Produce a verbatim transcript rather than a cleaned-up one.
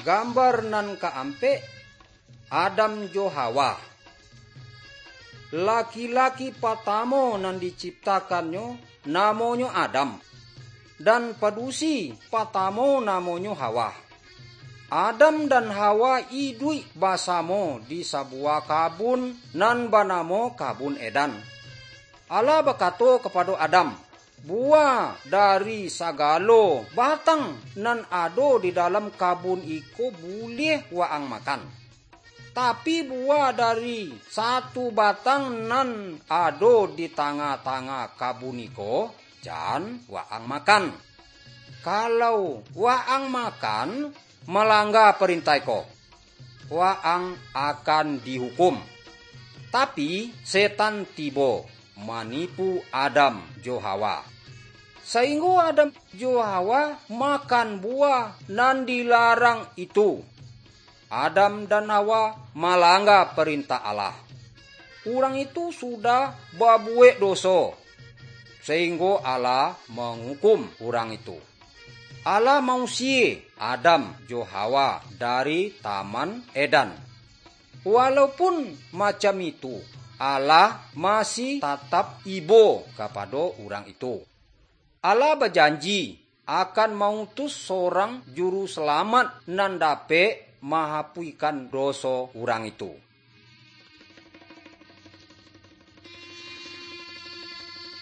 Gambar nan kaampek, Adam jo Hawa. Laki-laki patamo nan diciptakannyo namonyo Adam, dan padusi patamo namonyo Hawa. Adam dan Hawa iduik basamo di sabuah kabun nan banamo Kabun Edan. Allah bakato kapado Adam, "Buah dari sagalo batang nan ado di dalam kabun iko buliah waang makan. Tapi buah dari satu batang nan ado di tangah-tangah kabun iko, jan waang makan. Kalau waang makan, malangga parintah iko, waang akan dihukum." Tapi, setan tibo manipu Adam jo Hawa. Sainggo Adam jo Hawa makan buah nan dilarang itu. Adam dan Hawa malangga parintah Allah. Urang itu sudah babuwek doso, sainggo Allah mangukum urang itu. Allah mausie Adam jo Hawa dari Taman Edan. Walaupun macam itu, Allah masih tatap ibo kapado urang itu. Allah bajanji akan mautus sorang juru salamaik nan dapek mahapuihkan doso urang itu.